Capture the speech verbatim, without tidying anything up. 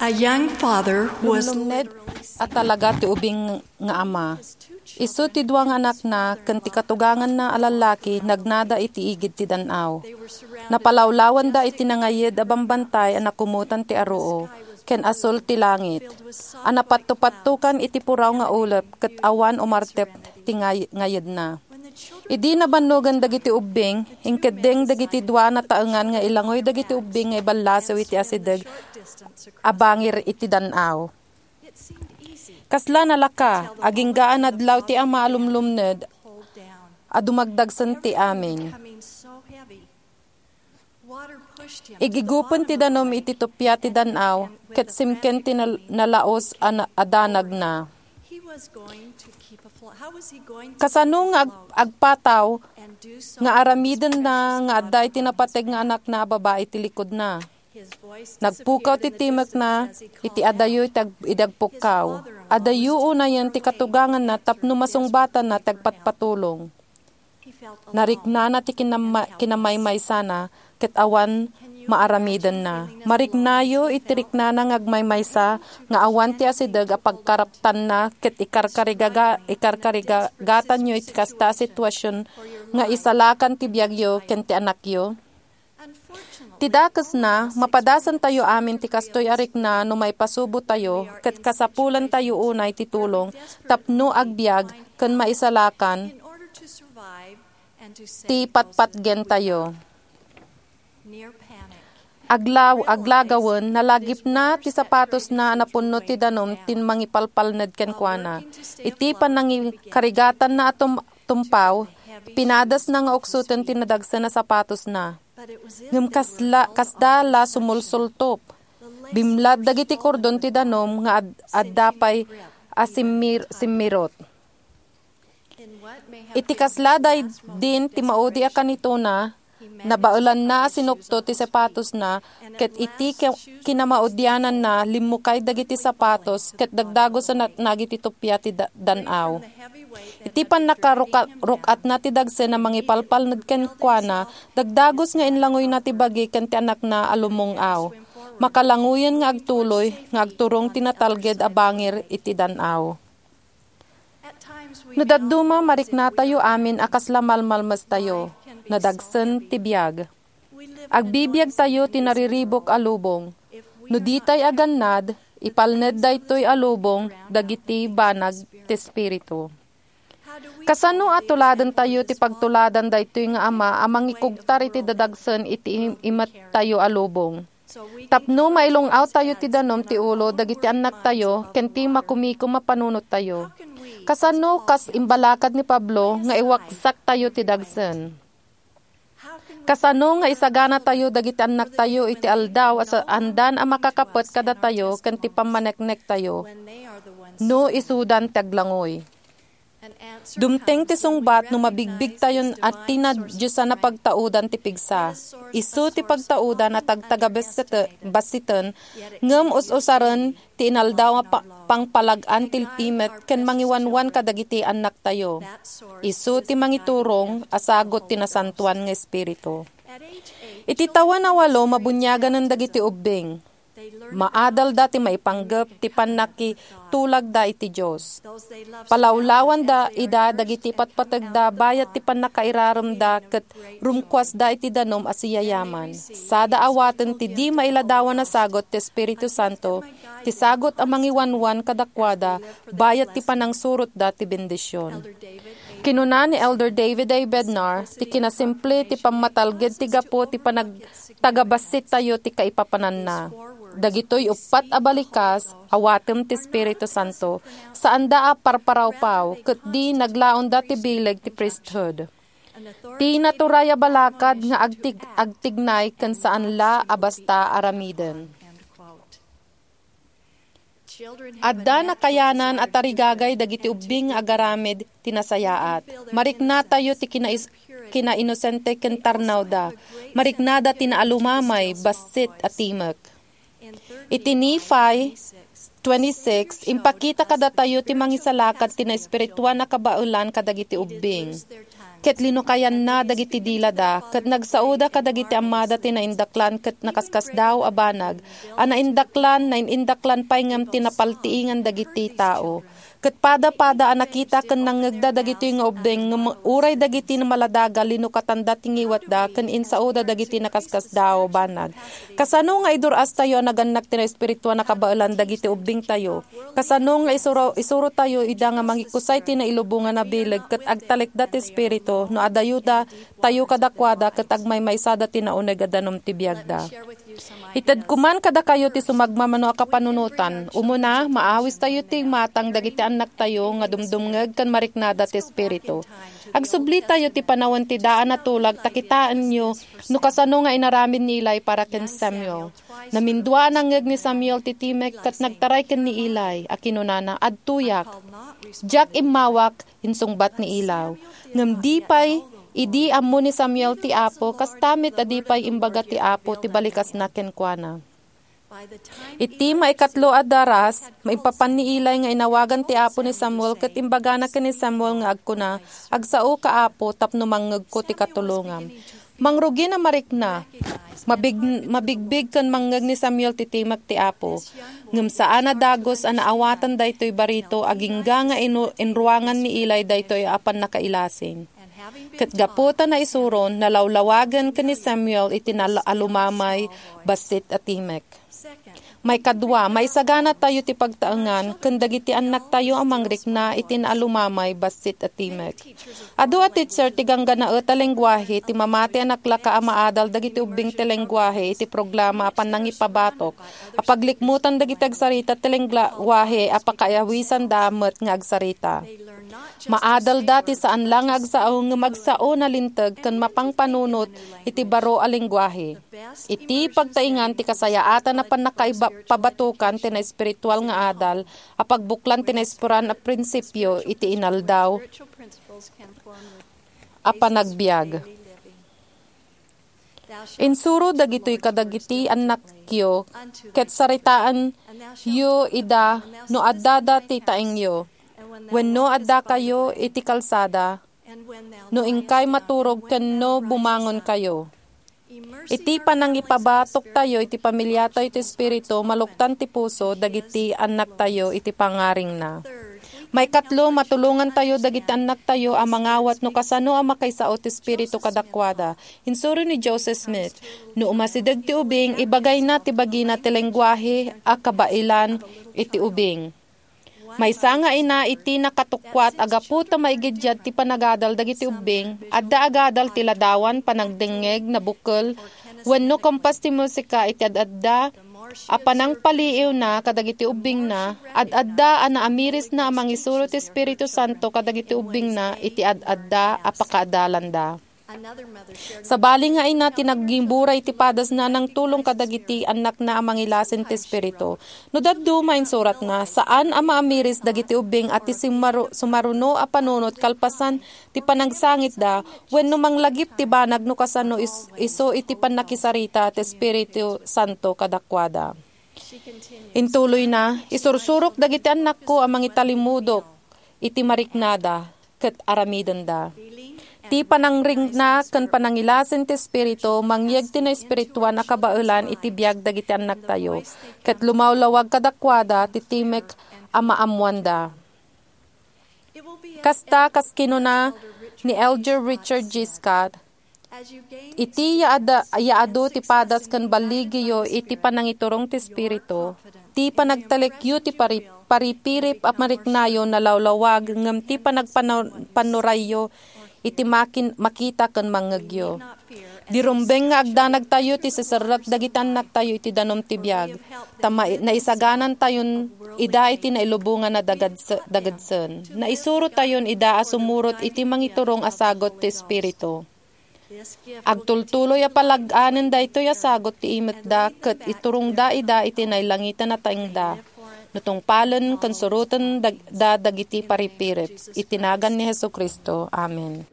A young father was Lumlumned a talaga ti ubing nga ama. Isu ti dua nga anakna ken ti katuganganna a lallaki nagnada iti igid ti dan-aw. Napalawlawanda iti nangayed a bambantay a nakumotan ti aruu ken asul ti langit, a napatto-pattokan iti puraw nga ulep ket awan umartep ti ngay-, ngayedna. Idi nabannogan dagiti ubbing, inkeddeng dagiti dua a nataengan nga ilangoy dagiti ubbing nga iballasew iti asideg a bangir iti dan-aw. Kasla nalaka, agingga a nadlaw ti ama a lumlumned a dumagdagsen ti amin. Igigupen ti danum iti tuppia ti dan-aw, ket simken ti nal-, nalaus a na-, a danagna. Kasano nga ag-, agpataw nga aramidenna nga adda iti napateg nga anakna a babai ti likudna? Nagpukaw ti timekna iti adayo iti ag-, idi agpukkaw. Adayo unayen ti katuganganna tapno masungbatanna ti agpatpatulong. Nariknana ti kinama-, kinamaymaysana ket awan maaramidenna. Mariknayo iti riknana nga agmaymaysa nga awan ti asideg a pagkaraptanna ket ikarkarigaga-, ikarkarigagatanyo iti kasta a situasion nga isalakan ti biagyo ken ti anakyo? Ti dakesna, mapadasantayo amin ti kastoy a rikna no maipasubotayo ket kasapulantayo unay ti tulong tapno agbiag ken maisalakan ti patpatgentayo. Aglaw-, aglagawen, nalagipna ti sapatosna a napunno ti danum ti mangipalpalned kenkuana. Iti pannangikarigatanna a tum-, tumpaw, pinadasna nga uksoten ti nadagsen a sapatosna. Ngem kasla, kasda la sumulsultop. Bimlad dagiti kordon ti danum nga ad-, adda pay a simmir-, simmirot. Iti kasla daydin ti maudi a kanitona, nabaelanna a sinukto ti sapatosna, ket iti ki-, kinamaudiananna, limmukay dagiti sapatos, ket dagdagosen a natnag iti tuppia ti da-, dan-aw. Iti pannakaruka-, ruk-atna ti dagsen a mangipalpalned kenkuana, dagdagos nga inlangoyna ti bagi ken ti anakna a lumung-aw. Makalangoyen nga agtuloy nga agturong ti natalged a bangir iti dan-aw. No dadduma, mariknatayo amin a kasla malmalmestayo, nadagsen ti biag. Agbibiagtayo ti nariribuk a lubong. No ditay agannad, ipalned daytoy a lubong dagiti banag ti Espiritu. Kasano a tuladentayo ti pagtuladan daytoy nga ama a mangikugtar iti dadagsen iti im-, imettayo a lubong? Tapno mailung-awtayo ti danum ti ulo dagiti annaktayo ken ti makumikom a panunottayo. Kasano kas imbalakad ni Pablo nga iwaksaktayo ti dagsen? Kasano nga isaganatayo dagiti annaktayo iti aldaw a saandan a makakapet kadatayo ken ti pammaneknektayo no isudan ti aglangoy? Dumteng ti sungbat no mabigbigtayon a ti nadiosan a pagtaudan ti pigsa. Isu ti pagtaudan a tagtagabassiten, bassiten, ngem us-usaren ti inaldaw a pa-, pangpalag-an ti timek ken mangiwanwan kadagiti annaktayo. Isu ti mangiturong a sagut ti Nasantoan nga Espiritu. Iti tawen a walo, mabuniaganen dagiti ubbing. Maadalda ti maipanggep ti pannakitulagda iti Dios. Palawlawanda ida dagiti patpategda bayat ti pannakairaremda ket rumkuasda iti danum a siyayaman. Sada awaten ti di mailadawan a sagut ti Espiritu Santo, ti sagut a mangiwanwan kadakuada bayat ti panangsurotda ti bendision. Kinuna ni Elder David A. Bednar, ti kinasimple ti pammatalged ti gapu ti panagtagabassittayo ti kaipapananna. Dagitoy uppat a balikas, awatem ti Espiritu Santo, saanda a parparawpaw, ket di naglaonda ti bileg ti priesthood. Ti naturay a balakad nga agtig-, agtignay ken saan la a basta aramiden. Adda nakayanan a tarigagay dagiti ubbing nga agaramid ti nasayaat. Mariknatayo ti kinais-, kinainosente ken tarnawda. Mariknada ti naalumamay, bassit a timek. Iti Nephi twenty-six, impakita kadatayo ti mangisalakan ti naespirituan a kabaelan kadagiti ubbing. ket linukayanna dagiti dilada, ket nagsaoda kadagiti ammada ti naindaklan ket nakaskasdaaw a banag, a naindaklan, nain-indaklan pay ngem ti napaltiingan dagiti tao. Ket pada-pada a nakita ken nangngegda dagitoy nga ubbing, ngem uray dagiti maladaga, linukatanda ti ngiwatda ken insaoda dagiti nakaskasdaaw a banag. Kasano nga idur-astayo a nagannak ti naespirituan a kabaelan dagiti ubbingtayo? Kasano nga isuro-, isurotayo ida nga mangikusay ti nailubongan a bileg ket agtalekda ti Espiritu no adayoda tayo kadakuada ket agmaymaysada ti nauneg a danum ti biagda? Itedko man kadakayo ti sumagmamano a kapanunotan. Umuna, maawistayo ti imatang dagiti annaktayo nga dumdumngeg ken mariknada ti Espiritu. Agsublitayo ti panawen ti daan a tulag ta kitaenyo no kasano nga inaramid ni Eli para ken Samuel. Namindua a nangngeg ni Samuel ti timek ket nagtaray ken ni Eli a kinunana, "Adtoyak. Diak immawak," insungbat ni Eli. Ngem di pay idi ammo ni Samuel ti Apo, kasta met a di pay imbaga ti Apo ti balikasna kenkuana. Iti maikatlo a daras, maipapan ni Eli nga inawagan ti Apo ni Samuel ket imbagana ken ni Samuel nga agkuna, "Agsaoka, Apo, tapno mangngegko ti katulongam." Mangrugin a marikna. Mabig-, mabigbig ken mangngeg ni Samuel ti timek ti Apo. Ngem saan a dagus a naawatan daytoy barito, agingga nga inu-, inruangan ni Eli daytoy a pannakailasin. Ket gapu ta naisuron, nalawlawagen ken ni Samuel iti nal-, alumamay bassit a timek. Maikadua, maisaganatayo ti pagtaengan ken dagiti annaktayo a mangrikna iti naalumamay bassit a timek. Adu a teacher ti gangganaet a lengguahe ti mamati a naklaka a maadal dagiti ubbing ti lengguahe iti programa a pannangipabatok a paglikmutan dagiti agsarita ti lengguahe a pakaawisanda met nga agsarita. Maadalda ti saan la nga agsao ngem agsao, nalinteg ken mapangpanunot iti baro a lengguahe. Iti pagtaengan ti kasayaatan a pannakaiba-, pabatokan ti naespiritual nga adal a pagbuklan ti naispuran a prinsipio iti inaldaw a panagbiag. Insuro dagitoy kadagiti annakyo ket saritaenyo ida no addada ti taengyo, wenno addakayo iti kalsada, no inkay maturog ken no bumangonkayo. Iti panangipabatoktayo iti pamiliatayo ti Espiritu, maluktan ti puso dagiti annaktayo iti pangngaringna. Maikatlo, matulongantayo dagiti annaktayo a mangawat no kasano a makaisao ti Espiritu kadakuada. Insuro ni Joseph Smith, "No umasideg ti ubing, ibagayna ti bagina ti lengguahe a kabaelan iti ubing." Maysa nga ina iti nakatukkuat a gapu ta maigiddiad ti panagadal dagiti ubbing, adda agadal ti ladawan, panagdengngeg, nabukel, wenno kampas ti musika iti ad-adda a panangpaliiwna kadagiti ubbingna, ad-adda a naamirisna a mangisuro ti Espiritu Santo kadagiti ubbingna iti ad-adda a pakaadalanda. Sabali nga ina ti naggimbura iti padasna a nangtulong kadagiti annakna a mangilasin ti Espiritu. No dadduma, insuratna, saan a maamiris dagiti ubbing a ti simmaru-, sumaruno a panunot kalpasan ti panagsangitda wenno manglagip ti banag no kasano is-, isu iti pannakisarita ti Espiritu Santo kadakuada. Intuloyna, "Isursurok dagiti annakko a mangitalimudok iti mariknada ket aramidenda." Ti panangrikna ken panangilasin ti Espiritu mangyeg ti naespirituan a kabaelan iti biag dagiti annaktayo, ket lumawlawag kadakuada ti timek a maammoanda. Kasta, kas kinuna ni Elder Richard G. Scott, "Iti yaada-, yaadu ti padas ken balligiyo iti panangiturong ti Espiritu, ti panagtalekyo ti pari-, paripirip a mariknayo nalawlawag ngem ti panagpano-, pannurayyo iti makin-, makita ken mangngegyo." Di rumbeng nga agdanagtayo ti siserrek dagiti annaktayo iti danum ti biag, ta ma-, naisaganantayon ida iti nailubongan a dagadse-, dagedsen. Naisurotayon ida a sumurot iti mangiturong a sagut ti Espiritu. Agtultuloy a palag-anen daytoy a sagut ti imetda ket iturongda ida iti nailangitan a taengda. No tungpalen ken suroten dag-, da dagiti paripirip. Iti nagan ni Jesu-Cristo. Amen.